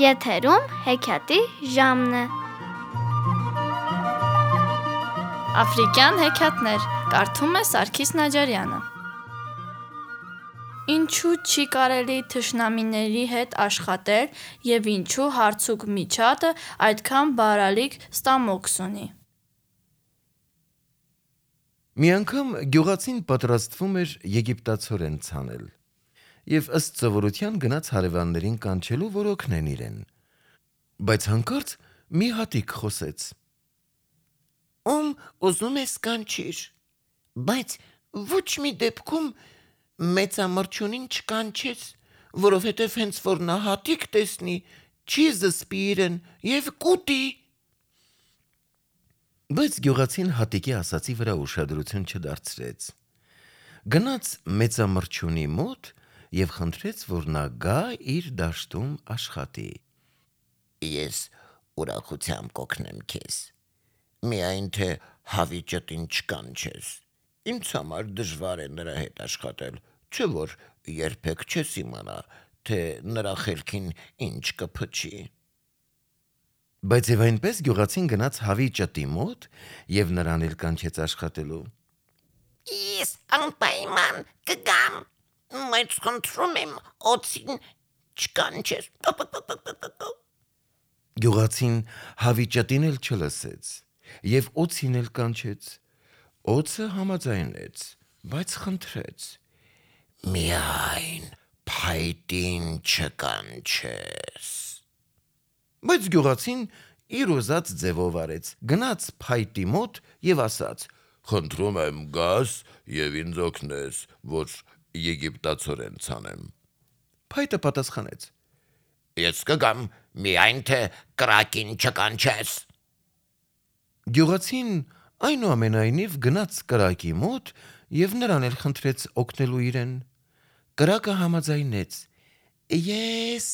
Եթերում հեքիաթի ժամն է։ Աֆրիկյան հեքիաթներ կարդում է Սարգիս Նաջարյանը։ Ինչու չի կարելի թշնամիների հետ աշխատել և ինչու հարցուկ միջատը այդքան բարալիկ ստամոքս ունի։ Մի անգամ գյուղացին պատրաստվում էր եգիպտացորեն ցանել և ըստ սովորության գնաց հարևաններին կանչելու, որ օգնեն իրեն, բայց հանկարծ մի հատիկ խոսեց. Ում ուզում ես կանչիր, բայց ոչ մի դեպքում մեծամրջունին չկանչես, որովհետև հենց որ նա հատիկ տեսնի, չի զսպի իրեն և կուտի։ Բայց գյուղացին հատիկի ասածի վրա ուշադրություն չդարձրեց, գնաց մեծամրջունի մոտ և խնդրեց, որ նա գա իր դաշտում աշխատի։ Ես ուրախությամբ կօգնեմ քեզ, միայն թե հավիճտին չկանչես, ինձ համար դժվար է նրա հետ աշխատել, չէ որ երբեք չես իմանա, թե նրա խելքին ինչ կփչի։ Բայց և այնպես գյուղացին գնաց հավի ճտի մոտ և նրան էլ կանչեց աշխատելու։ Ես անպայման կգամ, բայց խնդրում եմ օձին չկանչես։ Գյուղացին հավի ճտին էլ չլսեց և օձին էլ կանչեց։ Օձը համաձայնեց, բայց խնդրեց. Միայն փայտին չկանչես։ Բայց գյուղացին իր ուզած ձևով արեց, գնաց փայտի մոտ և ասաց. «Խնդրում եմ գաս և ինձ օգնես, որ եգիպտացորեն ցանեմ»։ Փայտը պատասխանեց. Ես կգամ, միայն թե կրակին չկանչես։ Գյուղացին այնուամենայնիվ գնաց կրակի մոտ և նրան էլ խնդրեց օգնելու իրեն։ Կրակը համաձայնեց. Ես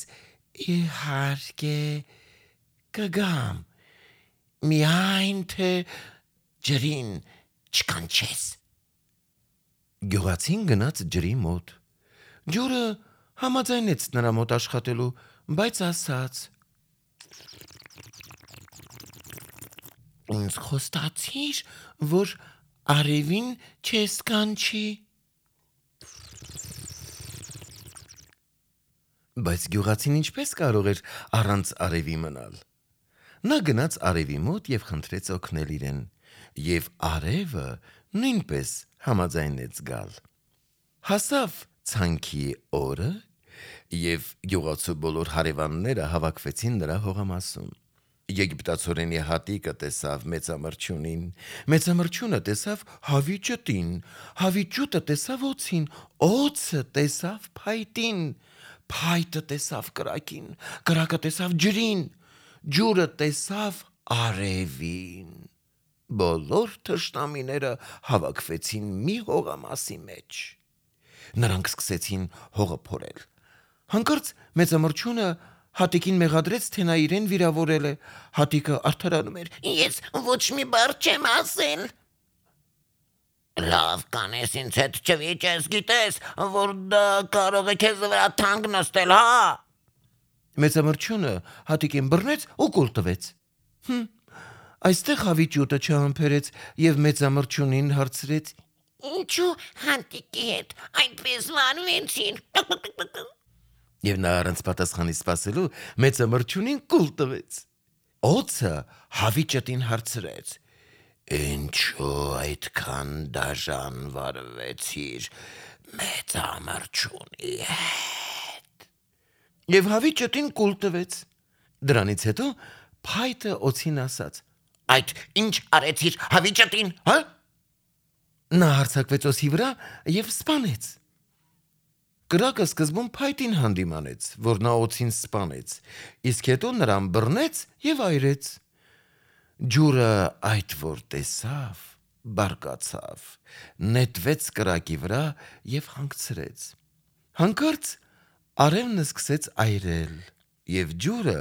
իհարկե կգամ, միայն թե ջրին չկանչես։ Գյուղացին գնաց ջրի մոտ։ Ջուրը համաձայնեց նրա մոտ աշխատելու, բայց ասաց. Ինձ խոստացիր, որ արևին չես կանչի։ Բայց գյուղացին ինչպես կարող էր առանց արևի մնալ։ Նա գնաց արևի մոտ և խնդրեց օգնել իրեն, և արևը նույնպես համաձայնեց գալ։ Հասավ ցանքի օրը, և գյուղացու բոլոր հարևանները հավաքվեցին նրա հողամասում։ Եգիպտացորենի հատիկը տեսավ մեծամրջունին, մեծամրջունը տեսավ հավի ճտին, հավի ճուտը տեսավ օձին, օձը տեսավ փայտին, փայտը տեսավ կրակին, կրակը տեսավ ջրին, ջուրը տեսավ արևին։ Բոլոր թշնամիները հավաքվեցին մի հողամասի մեջ։ Նրանք սկսեցին հողը փորել։ Հանկարծ մեծամրջունը հատիկին մեղադրեց, թե նա իրեն վիրավորել է։ Հատիկը արդարանում էր. Ես ոչ մի բառ չեմ ասել։ Լավ կանես ինձ հետ չվիճես, գիտես, որ դա կարող է քեզ վրա թանկ նստել, հա։ Մեծամրջունը հատիկին բռնեց ու կուլ տվեց։ Այստեղ հավի ճուտը չհամբերեց և մեծամրջունին հարցրեց. Ինչու հատիկի հետ այնպես վարվեցին։ Եվ նա առանց պատասխանի սպասելու մեծամրջունին կուլ տվեց։ Օձը հավի ճտին հարցրեց. Ինչու այդքան դաժան վարվեցիր մեծամրջունի հետ։ Եվ հավի ճտին կուլ տվեց։ Դրանից հետո փայտը օձին ասաց. Այդ ինչ արեցիր հավի ճտին, հա։ Նա հարձակվեց օձի վրա և սպանեց։ Կրակը սկզբում փայտին հանդիմանեց, որ նա օձին սպանեց, իսկ հետո նրան բռնեց և այրեց։ Ջուրը այդ որ տեսավ, բարկացավ, նետվեց կրակի վրա և հանգցրեց։ Հանկարծ արևն սկսեց այրել, և ջուրը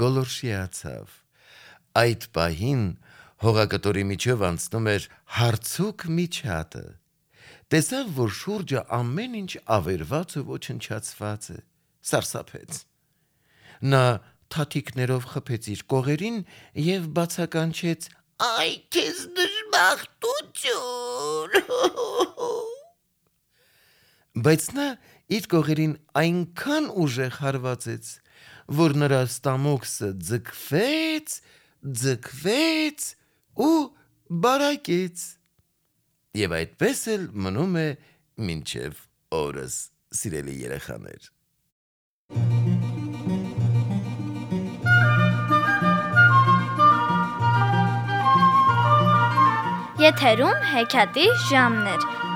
գոլորշիացավ։ Այդ պահին հողակտորի միջով անցնում էր հարցուկ միջատը։ Տեսավ, որ շուրջը ամեն ինչ ավերված ու ոչնչացված է, սարսափեց։ Նա թաթիկներով խփեց իր կողերին եւ բացականչեց. Այ քեզ դժբախտություն։ Բայց նա իր կողերին այնքան ուժեղ հարվածեց, որ նրա ստամոքսը ձգվեց ու բարակեց։ Եվ այդպես էլ մնում է մինչև օրս, սիրելի երեխաներ։ Եթերում հեքիաթի ժամն էր։